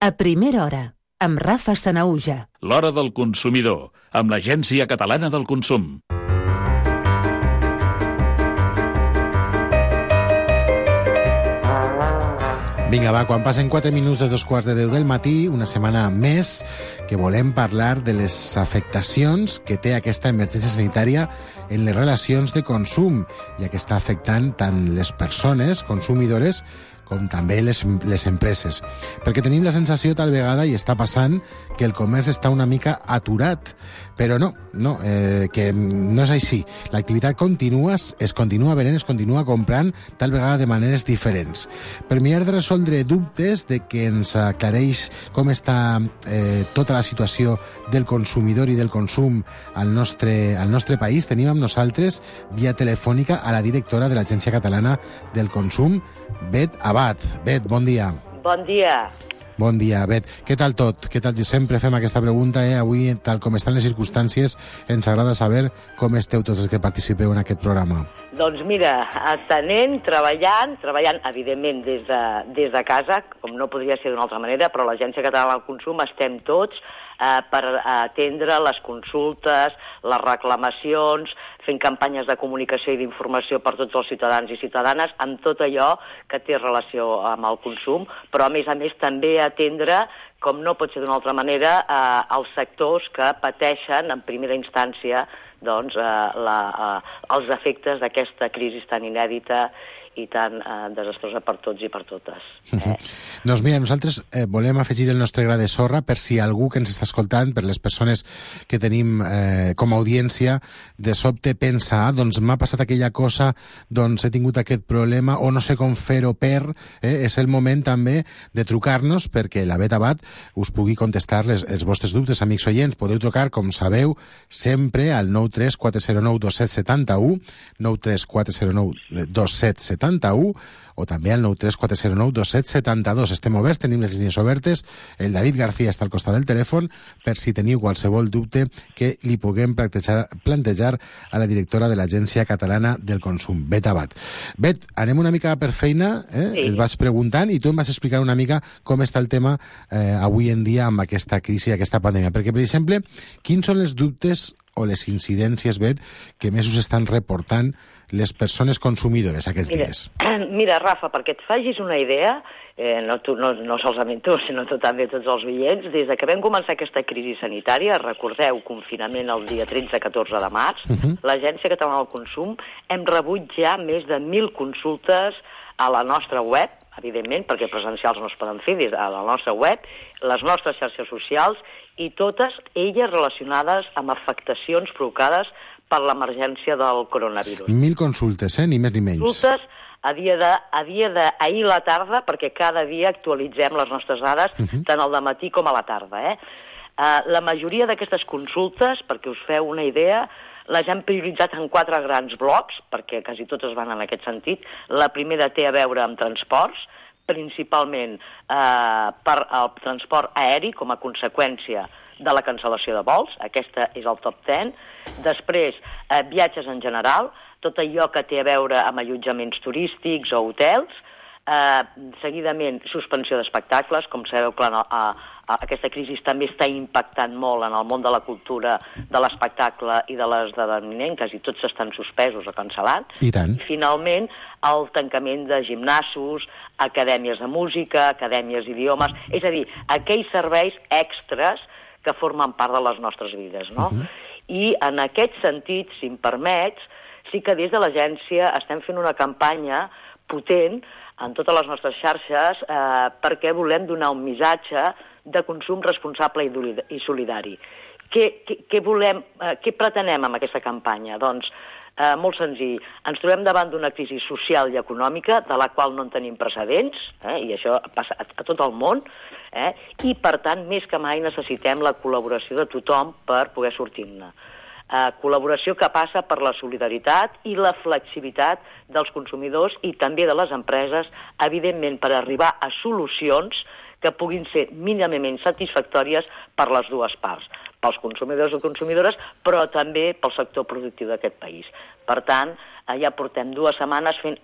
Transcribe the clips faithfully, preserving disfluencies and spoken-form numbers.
A primera hora, amb Rafa Sanahuja. L'hora del consumidor, amb l'Agència Catalana del Consum. Vinga, va, quan passen quatre minuts de dos quarts de deu del matí, una setmana més, que volem parlar de les afectacions que té aquesta emergència sanitària en les relacions de consum, ja que està afectant tant les persones consumidores com també les, les empreses. Perquè tenim la sensació tal vegada, i està passant, que el comerç està una mica aturat. Però no, no, eh, que no és així. L'activitat continua, es continua venent, es continua comprant, tal vegada de maneres diferents. Per mirar de resoldre dubtes de que ens aclareix com està eh, tota la situació del consumidor i del consum al nostre, al nostre país, tenim amb nosaltres, via telefònica, a la directora de l'Agència Catalana del Consum, Bet Abad. Bet, bon dia. Bon dia. Bon dia, Bet. Què tal tot? Què tal? Sempre fem aquesta pregunta, eh? Avui, tal com estan les circumstàncies, ens agrada saber com esteu tots els que participeu en aquest programa. Doncs mira, atenent, treballant, treballant, evidentment, des de, des de casa, com no podria ser d'una altra manera, però l'Agència Catalana del Consum estem tots eh, per atendre les consultes, les reclamacions, fent campanyes de comunicació i d'informació per tots els ciutadans i ciutadanes, amb tot allò que té relació amb el consum, però a més a més també atendre, com no pot ser d'una altra manera, eh, els sectors que pateixen en primera instància doncs, eh, la, eh, els efectes d'aquesta crisi tan inèdita i tan eh, desastrosa per tots i per totes. Eh? Doncs mira, nosaltres eh, volem afegir el nostre gra de sorra per si algú que ens està escoltant, per les persones que tenim eh, com a audiència, de sobte pensa, ah, doncs m'ha passat aquella cosa, doncs he tingut aquest problema, o no sé com fer-ho per... Eh, és el moment també de trucar-nos perquè la Bet Abad us pugui contestar les, els vostres dubtes, amics oients. Podeu trucar, com sabeu, sempre al nou tres quatre zero nou dos set set u, nou tres quatre zero nou dos set set u, o també al nou tres quatre zero nou dos set set dos. Estem oberts, tenim les línies obertes. El David García està al costat del telèfon per si teniu qualsevol dubte que li puguem plantejar, plantejar a la directora de l'Agència Catalana del Consum, Bet Abad. Bet, anem una mica per feina, eh? Sí. Et vas preguntant i tu em vas explicar una mica com està el tema eh, avui en dia amb aquesta crisi, aquesta pandèmia. Perquè, per exemple, quins són els dubtes o les incidències, Bet, que més us estan reportant les persones consumidores aquests mira, dies? Mira, Rafa, perquè et facis una idea, eh, no, tu, no, no solament tu, sinó tu també tots els oients, des de que vam començar aquesta crisi sanitària, recordeu, confinament el dia tretze catorze de març, uh -huh. l'Agència Catalana del Consum hem rebut ja més de mil consultes a la nostra web, evidentment, perquè presencials no es poden fer des de la nostra web, les nostres xarxes socials, i totes elles relacionades amb afectacions provocades per l'emergència del coronavirus. Mil consultes, eh? Ni més ni menys. Consultes a dia de, a dia d'ahir a la tarda, perquè cada dia actualitzem les nostres dades, uh -huh. tant al dematí com a la tarda. Eh? Uh, la majoria d'aquestes consultes, perquè us feu una idea, les hem prioritzat en quatre grans blocs, perquè quasi totes van en aquest sentit. La primera té a veure amb transports, principalment eh, per al transport aeri com a conseqüència de la cancel·lació de vols. Aquesta és el top deu. Després, eh, viatges en general, tot allò que té a veure amb allotjaments turístics o hotels. Eh, seguidament, suspensió d'espectacles. Com sabeu, clar, a, a, aquesta crisi també està impactant molt en el món de la cultura, de l'espectacle i de l'esdeveniment. Quasi tots estan suspesos o cancel·lats. I tant. I finalment, el tancament de gimnasos, acadèmies de música, acadèmies d'idiomes, és a dir, aquells serveis extres que formen part de les nostres vides, no? Uh-huh. I en aquest sentit, si em permets, sí que des de l'agència estem fent una campanya potent en totes les nostres xarxes eh, perquè volem donar un missatge de consum responsable i, i solidari. Què, què, què volem, eh, què pretenem amb aquesta campanya? Doncs Eh, molt senzill. Ens trobem davant d'una crisi social i econòmica de la qual no en tenim precedents, eh, i això passa a, a tot el món, eh, i per tant, més que mai necessitem la col·laboració de tothom per poder sortir-ne. Eh, col·laboració que passa per la solidaritat i la flexibilitat dels consumidors i també de les empreses, evidentment per arribar a solucions que puguin ser mínimament satisfactòries per les dues parts, pels consumidors i consumidores, però també pel sector productiu d'aquest país. Per tant, ja portem dues setmanes fent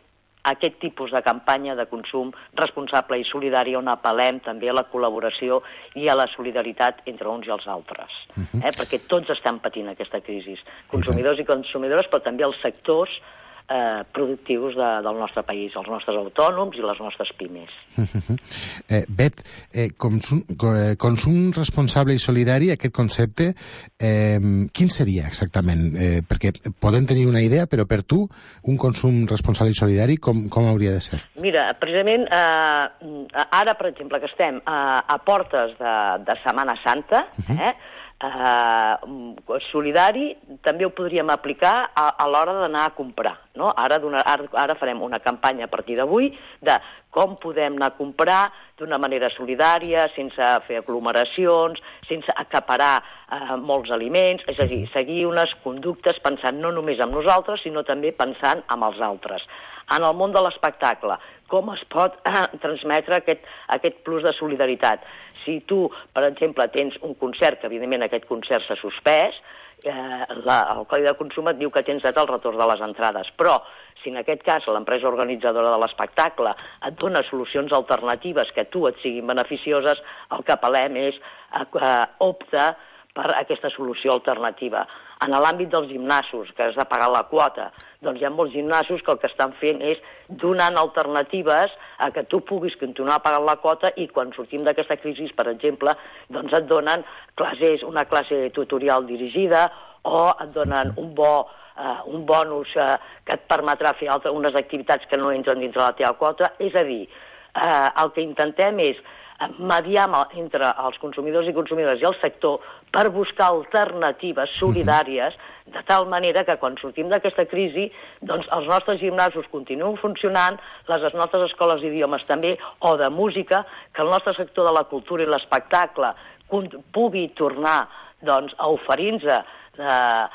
aquest tipus de campanya de consum responsable i solidari on apel·lem també a la col·laboració i a la solidaritat entre uns i els altres. Uh-huh. eh? Perquè tots estan patint aquesta crisi, consumidors i consumidores, però també els sectors eh, productius de, del nostre país, els nostres autònoms i les nostres pimes. Uh-huh. eh, Bet, eh, consum, consum responsable i solidari, aquest concepte, eh, quin seria exactament? Eh, perquè podem tenir una idea, però per tu, un consum responsable i solidari, com, com hauria de ser? Mira, precisament, eh, ara, per exemple, que estem eh, a portes de, de Setmana Santa, uh-huh. eh, Uh, solidari també ho podríem aplicar a, a l'hora d'anar a comprar, no? Ara, ara, ara farem una campanya a partir d'avui de com podem anar a comprar d'una manera solidària, sense fer aglomeracions, sense acaparar uh, molts aliments, és a dir, seguir unes conductes pensant no només en nosaltres, sinó també pensant en els altres. En el món de l'espectacle, com es pot uh, transmetre aquest, aquest plus de solidaritat? Si tu, per exemple, tens un concert, que evidentment aquest concert s'ha suspès, eh, la, el Codi de Consum et diu que tens dret al retorn de les entrades, però si en aquest cas l'empresa organitzadora de l'espectacle et dona solucions alternatives que a tu et siguin beneficioses, el que apel·lem és eh, opta per aquesta solució alternativa. En l'àmbit dels gimnasos, que has de pagar la quota, doncs hi ha molts gimnasos que el que estan fent és donant alternatives a que tu puguis continuar pagant la quota i quan sortim d'aquesta crisi, per exemple, doncs et donen classes, una classe tutorial dirigida o et donen un bo, uh, un bonus uh, que et permetrà fer altres, unes activitats que no entren dintre la teva quota. És a dir, uh, el que intentem és mediar entre els consumidors i consumidores i el sector per buscar alternatives solidàries, de tal manera que quan sortim d'aquesta crisi, doncs els nostres gimnasos continuen funcionant, les nostres escoles d'idiomes també, o de música, que el nostre sector de la cultura i l'espectacle pugui tornar doncs, a oferir-nos eh,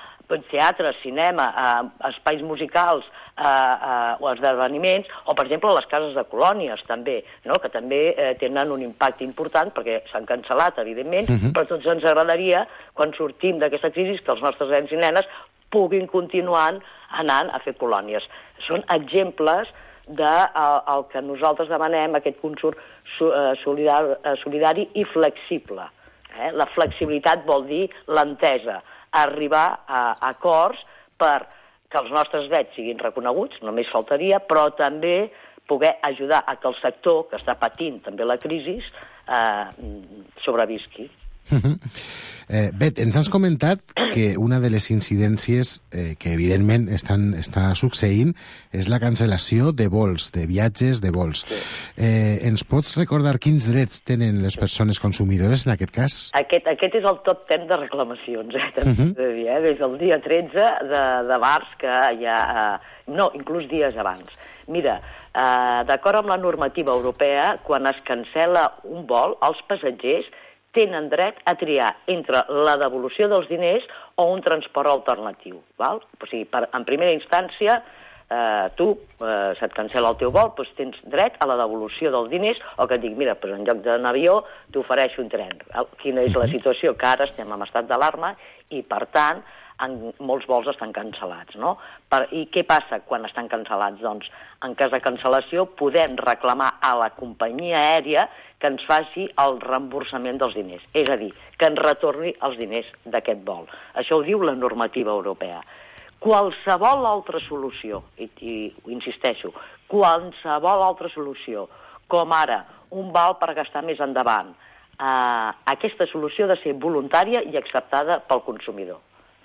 teatre, cinema, eh, espais musicals eh, eh, o esdeveniments, o per exemple les cases de colònies també, no? Que també eh, tenen un impacte important perquè s'han cancel·lat, evidentment, uh-huh. però a tots ens agradaria, quan sortim d'aquesta crisi, que els nostres nens i nenes puguin continuar anant a fer colònies. Són exemples de el, el que nosaltres demanem, aquest consum solidari, solidari i flexible. Eh? La flexibilitat vol dir l'entesa, arribar a acords per que els nostres drets siguin reconeguts, només faltaria, però també poder ajudar a que el sector, que està patint també la crisi, eh, sobrevisqui. Uh-huh. eh, Bet, ens has comentat que una de les incidències eh, que evidentment estan, està succeint és la cancel·lació de vols, de viatges de vols. Sí. Eh, ens pots recordar quins drets tenen les persones consumidores en aquest cas? Aquest, aquest és el top ten de reclamacions, eh, uh-huh. de dir, eh? Des del dia tretze de, de març, que hi ha... Eh, no, inclús dies abans. Mira, eh, d'acord amb la normativa europea, quan es cancel·la un vol, els passatgers tenen dret a triar entre la devolució dels diners o un transport alternatiu. Val? O sigui, per, en primera instància, eh, tu, eh, se't cancel·la el teu vol, doncs tens dret a la devolució dels diners o que et dic, mira, doncs en lloc d'un avió t'ofereixo un tren. Val? Quina és la situació? Que ara estem en estat d'alarma i, per tant, en molts vols estan cancel·lats, no? Per, I què passa quan estan cancel·lats? Doncs, en cas de cancel·lació, podem reclamar a la companyia aèria que ens faci el reemborsament dels diners, és a dir, que ens retorni els diners d'aquest vol. Això ho diu la normativa europea. Qualsevol altra solució, i, i insisteixo, qualsevol altra solució, com ara un val per gastar més endavant, eh, aquesta solució ha de ser voluntària i acceptada pel consumidor.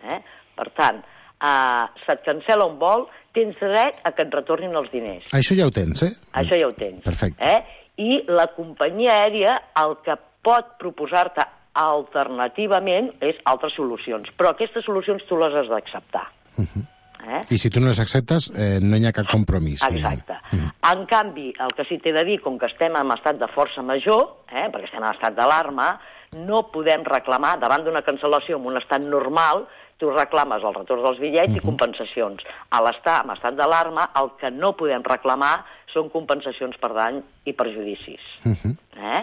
Eh? Per tant, eh, se't cancel·la un vol, tens dret a que et retornin els diners. Això ja ho tens, eh? Això ja ho tens. Perfecte. Eh? I la companyia aèria el que pot proposar-te alternativament és altres solucions, però aquestes solucions tu les has d'acceptar. Uh-huh. eh? I si tu no les acceptes, eh, no hi ha cap compromís. Exacte. Uh-huh. En canvi, el que sí t'he de dir, com que estem en estat de força major, eh, perquè estem en estat d'alarma, no podem reclamar, davant d'una cancel·lació en un estat normal, tu reclames el retorn dels bitllets uh-huh. i compensacions. A l'estar en estat d'alarma, el que no podem reclamar són compensacions per dany i perjudicis. Uh-huh. eh?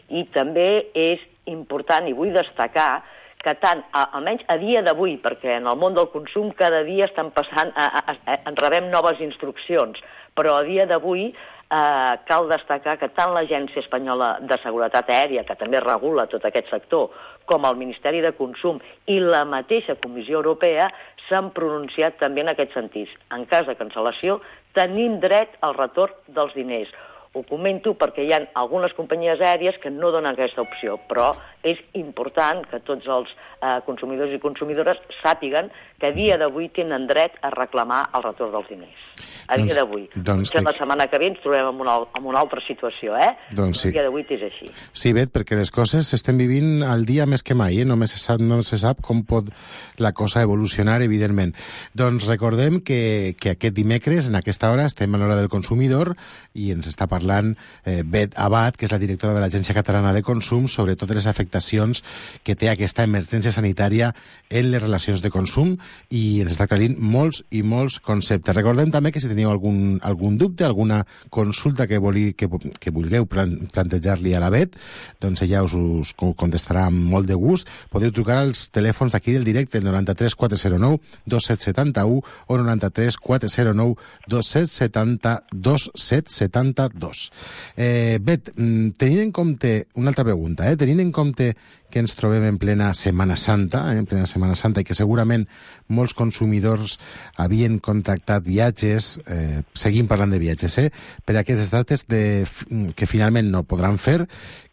I també és important, i vull destacar, que tant, a, almenys a dia d'avui, perquè en el món del consum cada dia estan passant, a, a, a, en rebem noves instruccions, Però a dia d'avui eh, cal destacar que tant l'Agència Espanyola de Seguretat Aèria, que també regula tot aquest sector, com el Ministeri de Consum i la mateixa Comissió Europea s'han pronunciat també en aquest sentit. En cas de cancel·lació, tenim dret al retorn dels diners. Ho comento perquè hi ha algunes companyies aèries que no donen aquesta opció, però és important que tots els eh, consumidors i consumidores sàpiguen que a dia d'avui tenen dret a reclamar el retorn dels diners. A dia d'avui. Doncs, que la setmana que ve ens trobem en una, en una altra situació, eh? Doncs sí. A dia d'avui és així. Sí, Bet, perquè les coses s'estem vivint al dia més que mai, eh? Només se sap, no se sap com pot la cosa evolucionar, evidentment. Doncs recordem que, que aquest dimecres, en aquesta hora, estem a l'hora del consumidor i ens està parlant eh, Bet Abad, que és la directora de l'Agència Catalana de Consum, sobre totes les afectacions que té aquesta emergència sanitària en les relacions de consum i ens està aclarint molts i molts conceptes. Recordem també que si teniu algun, algun dubte, alguna consulta que, voli, que, que vulgueu plan, plantejar-li a la Bet, doncs ella us, us contestarà amb molt de gust. Podeu trucar als telèfons d'aquí del directe, el noranta-tres quatre zero nou dos set set u o noranta-tres quatre zero nou dos set set dos set set dos. Eh, Bet, tenint en compte, una altra pregunta, eh, tenint en compte que ens trobem en plena Setmana Santa, eh, en plena Setmana Santa, i que segurament molts consumidors havien contractat viatges, eh, seguim parlant de viatges, eh, per aquestes dates de, que finalment no podran fer,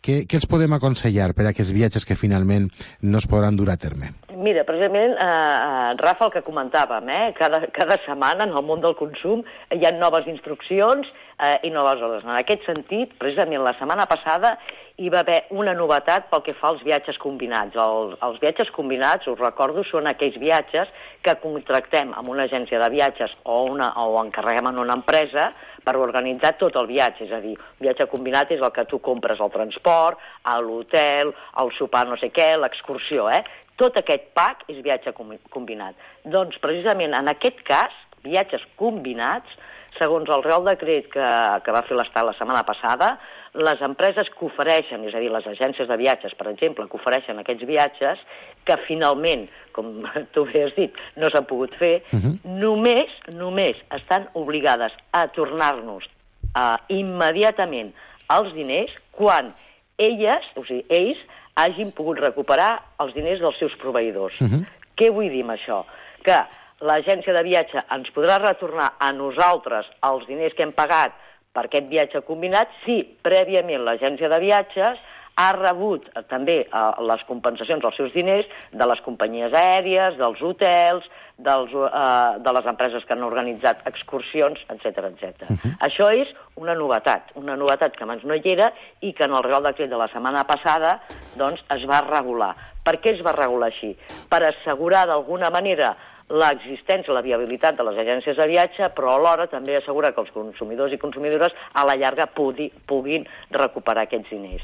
què, què els podem aconsellar per a aquests viatges que finalment no es podran dur a terme? Mira, precisament, eh, Rafa, el que comentàvem, eh, cada, cada setmana en el món del consum hi ha noves instruccions eh, i noves ordres. En aquest sentit, precisament la setmana passada hi va haver una novetat pel que fa als viatges combinats. El, els viatges combinats, us recordo, són aquells viatges que contractem amb una agència de viatges o, una, o encarreguem en una empresa per organitzar tot el viatge. És a dir, un viatge combinat és el que tu compres el transport, l'hotel, el sopar no sé què, l'excursió, eh? Tot aquest pack és viatge combinat. Doncs, precisament, en aquest cas, viatges combinats, segons el Reial Decret que, que va fer l'Estat la setmana passada, les empreses que ofereixen, és a dir, les agències de viatges, per exemple, que ofereixen aquests viatges, que finalment, com tu bé has dit, no s'han pogut fer, uh-huh. només, només estan obligades a tornar-nos uh, immediatament els diners quan elles, o sigui, ells, hagin pogut recuperar els diners dels seus proveïdors. Uh-huh. Què vull dir amb això? Que l'agència de viatge ens podrà retornar a nosaltres els diners que hem pagat per aquest viatge combinat si prèviament l'agència de viatges ha rebut eh, també eh, les compensacions dels seus diners de les companyies aèries, dels hotels, dels, eh, de les empreses que han organitzat excursions, etcètera, etcètera. Uh-huh. Això és una novetat, una novetat que abans no hi era i que en el Reial Decret de la setmana passada doncs, es va regular. Per què es va regular així? Per assegurar d'alguna manera l'existència, la viabilitat de les agències de viatge, però alhora també assegurar que els consumidors i consumidores a la llarga pugui, puguin recuperar aquests diners.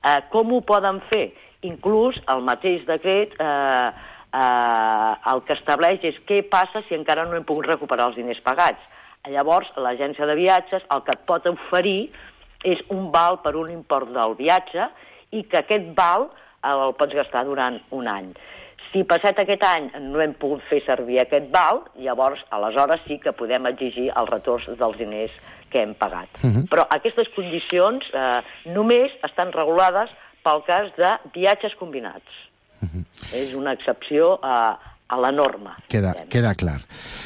Eh, com ho poden fer? Inclús el mateix decret eh, eh, el que estableix és què passa si encara no hem pogut recuperar els diners pagats. Llavors, l'agència de viatges el que et pot oferir és un val per un import del viatge i que aquest val el pots gastar durant un any. Si passat aquest any no hem pogut fer servir aquest val, llavors, aleshores sí que podem exigir el retorn dels diners que hem pagat. Uh-huh. Però aquestes condicions eh, només estan regulades pel cas de viatges combinats. Uh-huh. És una excepció a, a la norma. Queda, queda clar.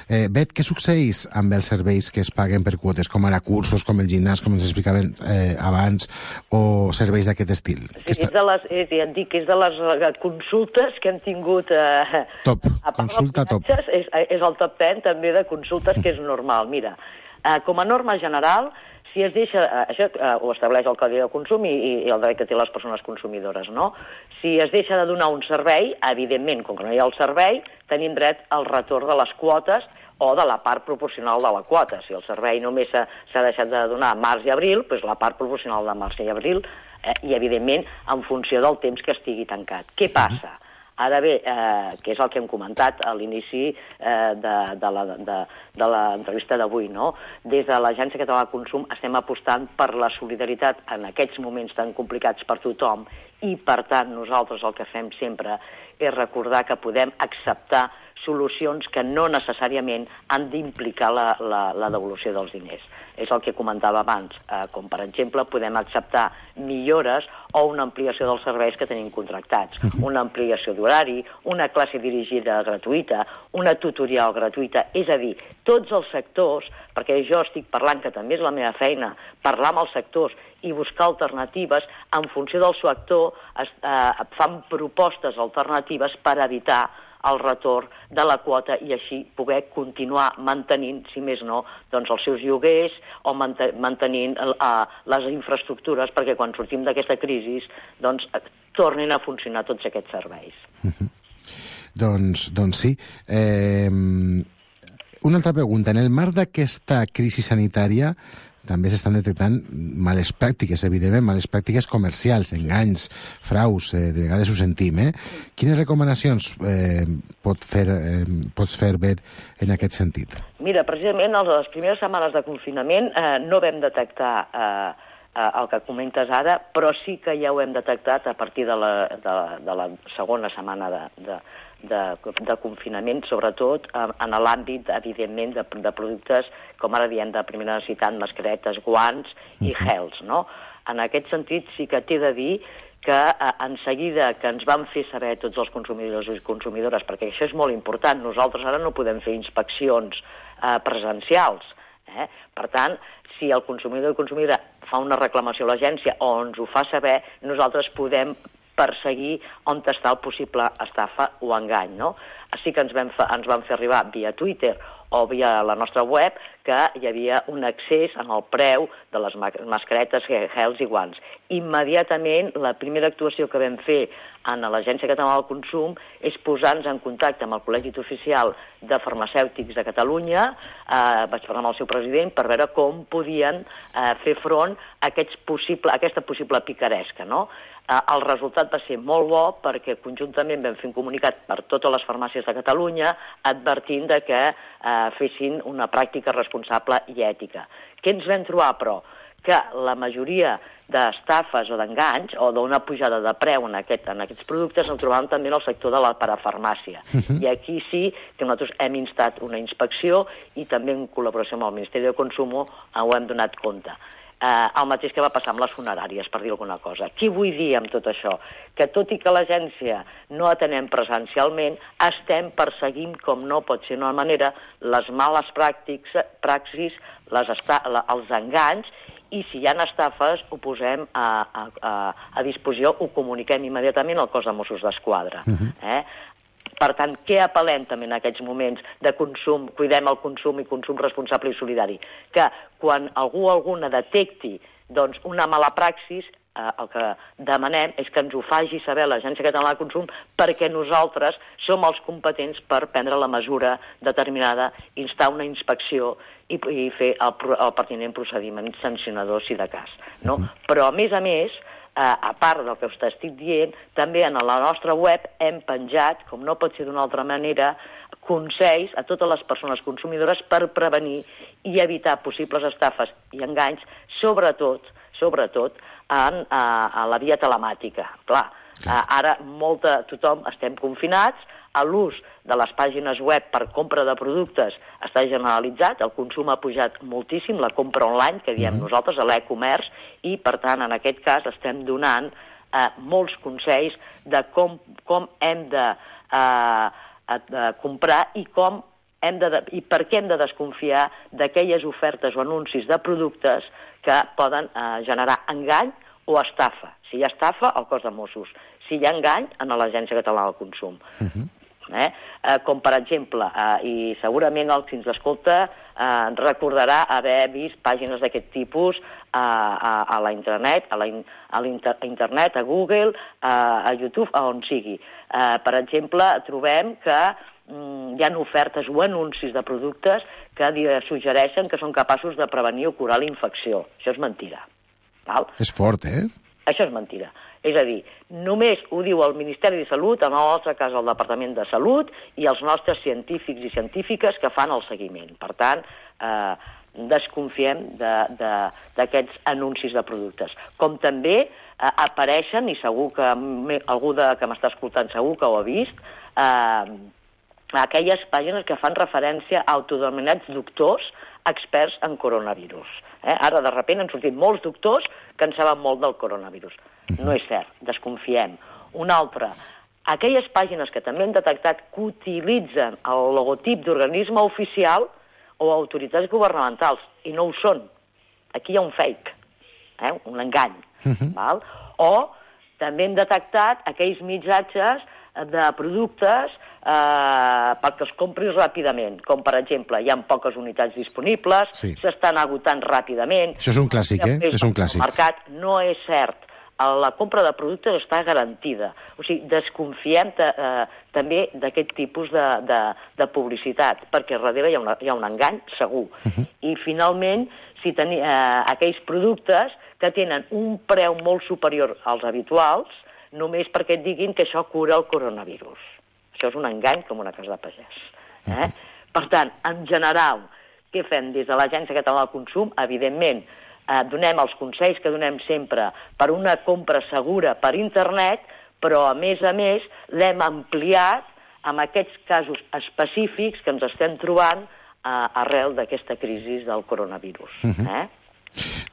Eh, Bet, què succeeix amb els serveis que es paguen per quotes, com ara cursos, com el gimnàs, com ens explicaven eh, abans, o serveis d'aquest estil? Sí, és de les, és, ja et dic, és de les consultes que hem tingut... Eh, top, consulta top. És, és el top deu també de consultes, que és normal. Mira, eh, com a norma general, si es deixa, eh, això eh, ho estableix el Codi de Consum i, i el dret que té les persones consumidores, no? Si es deixa de donar un servei, evidentment, com que no hi ha el servei, tenim dret al retorn de les quotes o de la part proporcional de la quota. Si el servei només s'ha deixat de donar a març i abril, doncs la part proporcional de març i abril, eh, i evidentment en funció del temps que estigui tancat. Què passa? Ara bé, eh, que és el que hem comentat a l'inici eh, de, de, la, de, de l'entrevista d'avui, no? Des de l'Agència Catalana de Consum estem apostant per la solidaritat en aquests moments tan complicats per tothom i, per tant, nosaltres el que fem sempre és recordar que podem acceptar solucions que no necessàriament han d'implicar la, la, la devolució dels diners. És el que comentava abans, eh, com per exemple podem acceptar millores o una ampliació dels serveis que tenim contractats, una ampliació d'horari, una classe dirigida gratuïta, una tutorial gratuïta, és a dir, tots els sectors, perquè jo estic parlant, que també és la meva feina, parlar amb els sectors i buscar alternatives, en funció del seu actor es, eh, fan propostes alternatives per evitar el retorn de la quota i així poder continuar mantenint, si més no, doncs els seus lloguers o mantenint uh, les infraestructures perquè quan sortim d'aquesta crisi doncs tornin a funcionar tots aquests serveis. Uh-huh. Doncs, doncs sí. Eh, una altra pregunta. En el marc d'aquesta crisi sanitària també s'estan detectant males pràctiques, evidentment, males pràctiques comercials, enganys, fraus, eh, de vegades ho sentim, eh? Quines recomanacions eh, pot fer, eh, pots fer, Bet, en aquest sentit? Mira, precisament a les primeres setmanes de confinament eh, no vam detectar eh, eh, el que comentes ara, però sí que ja ho hem detectat a partir de la, de, de la segona setmana de, de, de, de confinament, sobretot eh, en l'àmbit, evidentment, de, de productes, com ara diem, de primera necessitat, mascaretes, guants i gels, no? En aquest sentit sí que t'he de dir que eh, en seguida que ens van fer saber tots els consumidors i consumidores, perquè això és molt important, nosaltres ara no podem fer inspeccions eh, presencials, eh? Per tant, si el consumidor o consumidora fa una reclamació a l'agència o ens ho fa saber, nosaltres podem perseguir on està el possible estafa o engany, no? Així que ens vam, fa, ens van fer arribar via Twitter o via la nostra web que hi havia un accés en el preu de les mascaretes, gels i guants. Immediatament, la primera actuació que vam fer en l'Agència Catalana del Consum és posar-nos en contacte amb el Col·legi Oficial de Farmacèutics de Catalunya, eh, vaig parlar amb el seu president per veure com podien eh, fer front a, aquests possible, a aquesta possible picaresca, no? Eh, el resultat va ser molt bo perquè conjuntament vam fer un comunicat per totes les farmàcies de Catalunya advertint de que eh, fessin una pràctica responsable i ètica. Què ens vam trobar, però? Que la majoria d'estafes o d'enganys o d'una pujada de preu en, aquest, en aquests productes el trobàvem també en el sector de la parafarmàcia. Uh-huh. I aquí sí que nosaltres hem instat una inspecció i també en col·laboració amb el Ministeri de Consum ho hem donat compte. Eh, el mateix que va passar amb les funeràries, per dir alguna cosa. Què vull dir amb tot això? Que tot i que l'agència no atenem presencialment, estem perseguint, com no pot ser d'una manera, les males pràctiques, praxis, les esta la, els enganys, i si hi ha estafes ho posem a, a, a, a disposició, ho comuniquem immediatament al cos de Mossos d'Esquadra. Uh-huh. eh? Per tant, què apel·lem també en aquests moments de consum, cuidem el consum i consum responsable i solidari? Que quan algú o alguna detecti doncs, una mala praxis, eh, el que demanem és que ens ho faci saber l'Agència Catalana de Consum perquè nosaltres som els competents per prendre la mesura determinada, instar una inspecció i, i fer el, el pertinent procediment sancionador si de cas. No? Però, a més a més, Uh, a part del que us estic dient, també en la nostra web hem penjat, com no pot ser d'una altra manera, consells a totes les persones consumidores per prevenir i evitar possibles estafes i enganys, sobretot, sobretot en, uh, en la via telemàtica. Clar, uh, ara molta, tothom estem confinats, a l'ús de les pàgines web per compra de productes està generalitzat, el consum ha pujat moltíssim, la compra online, que diem mm-hmm. nosaltres, a l'e-comerç, i per tant en aquest cas estem donant eh, molts consells de com, com hem de, eh, de comprar i, com hem de, i per què hem de desconfiar d'aquelles ofertes o anuncis de productes que poden eh, generar engany o estafa. Si hi ha estafa, al cos de Mossos. Si hi ha engany, en l'Agència Catalana del Consum. Mm-hmm. Eh? Eh, com per exemple, eh, i segurament el que ens escolta eh, recordarà haver vist pàgines d'aquest tipus eh, a, a la internet, a la in, a internet, a Google, eh, a YouTube, a on sigui. Eh, per exemple, trobem que mm, hi ha ofertes o anuncis de productes que suggereixen que són capaços de prevenir o curar la infecció. Això és mentida. Val? És fort, eh? Això és mentida. És a dir, només ho diu el Ministeri de Salut, en el nostre cas el Departament de Salut, i els nostres científics i científiques que fan el seguiment. Per tant, eh, desconfiem d'aquests anuncis de productes. Com també eh, apareixen, i segur que me, algú de, que m'està escoltant segur que ho ha vist, eh, aquelles pàgines que fan referència a autodenominats doctors experts en coronavirus. Eh? Ara, de sobte, han sortit molts doctors que en saben molt del coronavirus. No és cert, desconfiem. Una altra, aquelles pàgines que també hem detectat que utilitzen el logotip d'organisme oficial o autoritats governamentals, i no ho són. Aquí hi ha un fake, eh? Un engany. Uh-huh. Val? O també hem detectat aquells missatges de productes eh, perquè els compris ràpidament, com per exemple hi ha poques unitats disponibles, s'estan sí. agotant ràpidament. Això és un clàssic, eh? És un clàssic. El mercat no és cert. La compra de productes està garantida. O sigui, desconfiem eh, també d'aquest tipus de, de, de publicitat, perquè darrere hi ha, una, hi ha un engany segur. Uh-huh. I finalment, si teni, eh, aquells productes que tenen un preu molt superior als habituals, només perquè et diguin que això cura el coronavirus. Això és un engany com una casa de pagès. Eh? Uh-huh. Per tant, en general, què fem des de l'Agència Catalana del Consum? Evidentment, eh, donem els consells que donem sempre per una compra segura per internet, però, a més a més, l'hem ampliat amb aquests casos específics que ens estem trobant eh, arrel d'aquesta crisi del coronavirus. Uh-huh. Eh?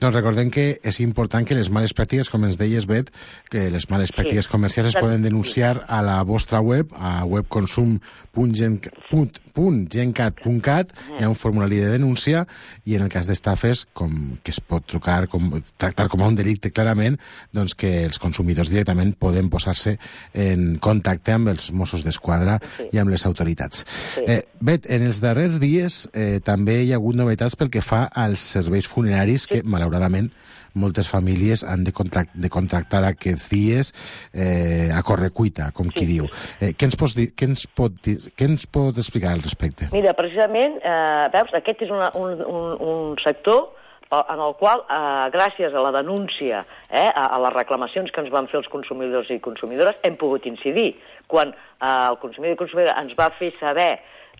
Doncs recordem que és important que les males pràctiques, com ens deies, Bet, que les males pràctiques sí. comercials es poden denunciar a la vostra web, a webconsum punt gencat punt cat, hi ha un formulari de denúncia, i en el cas d'estafes, com que es pot trucar, com, tractar com a un delicte clarament, doncs que els consumidors directament poden posar-se en contacte amb els Mossos d'Esquadra sí. i amb les autoritats. Sí. Eh, Bet, en els darrers dies eh, també hi ha hagut novetats pel que fa als serveis funeraris que, malauradament, moltes famílies han de, contract de contractar aquests dies eh, a correcuita, com qui sí. diu. Eh, què, ens pots dir, què, ens pot dir, què ens pot explicar al respecte? Mira, precisament, eh, veus, aquest és una, un, un, un sector en el qual, eh, gràcies a la denúncia, eh, a, a les reclamacions que ens van fer els consumidors i consumidores, hem pogut incidir. Quan eh, el consumidor i consumidora ens va fer saber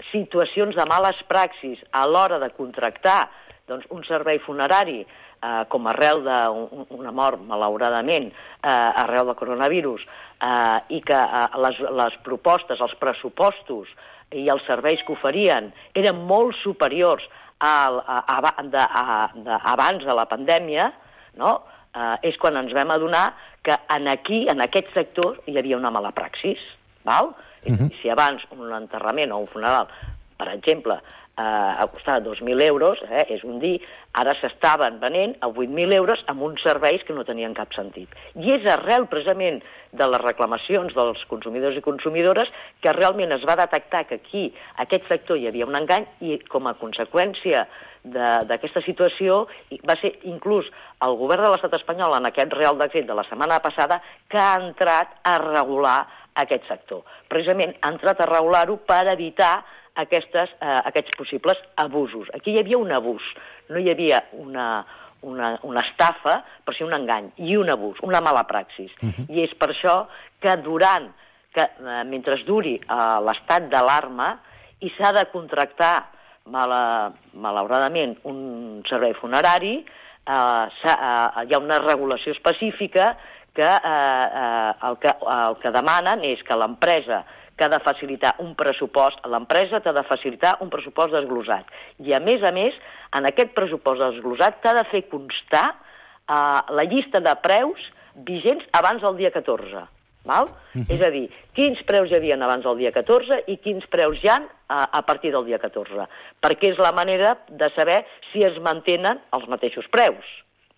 situacions de males praxis a l'hora de contractar doncs, un servei funerari eh, com arrel d'una mort, malauradament, eh, arrel del coronavirus, eh, i que eh, les, les propostes, els pressupostos i els serveis que oferien eren molt superiors al, a, a, de, a, de, abans de la pandèmia, no? eh, és quan ens vam adonar que en aquí, en aquest sector, hi havia una mala praxis. Val? Uh-huh. Si abans un enterrament o un funeral, per exemple, eh, costava dos mil euros, eh, és un dir, ara s'estaven venent a vuit mil euros amb uns serveis que no tenien cap sentit. I és arrel, precisament, de les reclamacions dels consumidors i consumidores que realment es va detectar que aquí, aquest sector, hi havia un engany i, com a conseqüència d'aquesta situació, va ser inclús el govern de l'estat espanyol en aquest Real Decret de la setmana passada que ha entrat a regular aquest sector. Precisament ha entrat a regular-ho per evitar aquestes, eh, aquests possibles abusos. Aquí hi havia un abús, no hi havia una, una, una estafa, però sí un engany, i un abús, una mala praxis. Uh-huh. I és per això que durant, que, eh, mentre duri eh, l'estat d'alarma i s'ha de contractar, mala, malauradament, un servei funerari, eh, eh, hi ha una regulació específica que, eh, eh, el que el que demanen és que l'empresa que ha de facilitar un pressupost, l'empresa t'ha de facilitar un pressupost desglosat. I, a més a més, en aquest pressupost desglosat t'ha de fer constar eh, la llista de preus vigents abans del dia catorze. Val? Uh-huh. És a dir, quins preus hi havia abans del dia catorze i quins preus hi ha a, a partir del dia catorze. Perquè és la manera de saber si es mantenen els mateixos preus.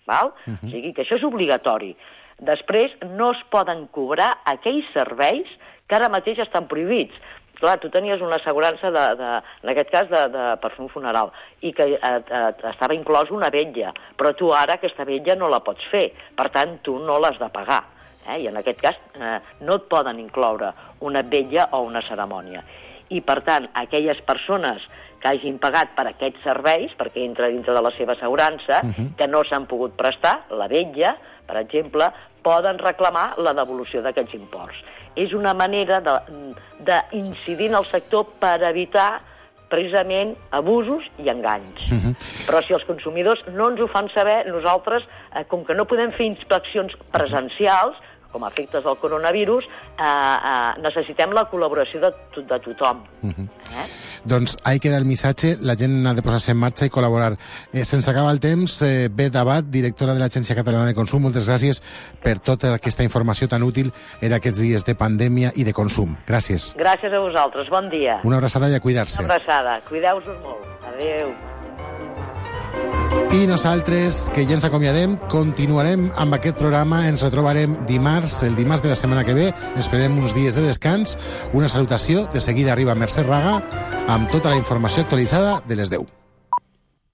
Val? Uh-huh. O sigui que això és obligatori. Després, no es poden cobrar aquells serveis que ara mateix estan prohibits. Clar, tu tenies una assegurança, de, de, en aquest cas, de, de perfum funeral, i que eh, eh, estava inclòs una vetlla, però tu ara aquesta vetlla no la pots fer, per tant, tu no l'has de pagar. Eh? I en aquest cas eh, no et poden incloure una vetlla o una cerimònia. I, per tant, aquelles persones que hagin pagat per aquests serveis, perquè entra dintre de la seva assegurança, uh-huh. que no s'han pogut prestar, la vetlla, per exemple, poden reclamar la devolució d'aquests imports. És una manera d'incidir en el sector per evitar precisament abusos i enganys. Uh-huh. Però si els consumidors no ens ho fan saber, nosaltres, eh, com que no podem fer inspeccions presencials, com a efectes del coronavirus, eh, eh, necessitem la col·laboració de, to de tothom. Uh-huh. eh? Doncs ahí queda el missatge, la gent ha de posar-se en marxa i col·laborar. Eh, Se'ns acaba el temps. Eh, Bet Abad, directora de l'Agència Catalana de Consum, moltes gràcies per tota aquesta informació tan útil en aquests dies de pandèmia i de consum. Gràcies. Gràcies a vosaltres, bon dia. Una abraçada i a cuidar-se. Una abraçada, cuideu-vos molt. Adéu. I nosaltres, que ja ens acomiadem, continuarem amb aquest programa. Ens retrobarem dimarts, el dimarts de la setmana que ve. Esperem uns dies de descans. Una salutació. De seguida arriba Mercè Raga amb tota la informació actualitzada de les deu.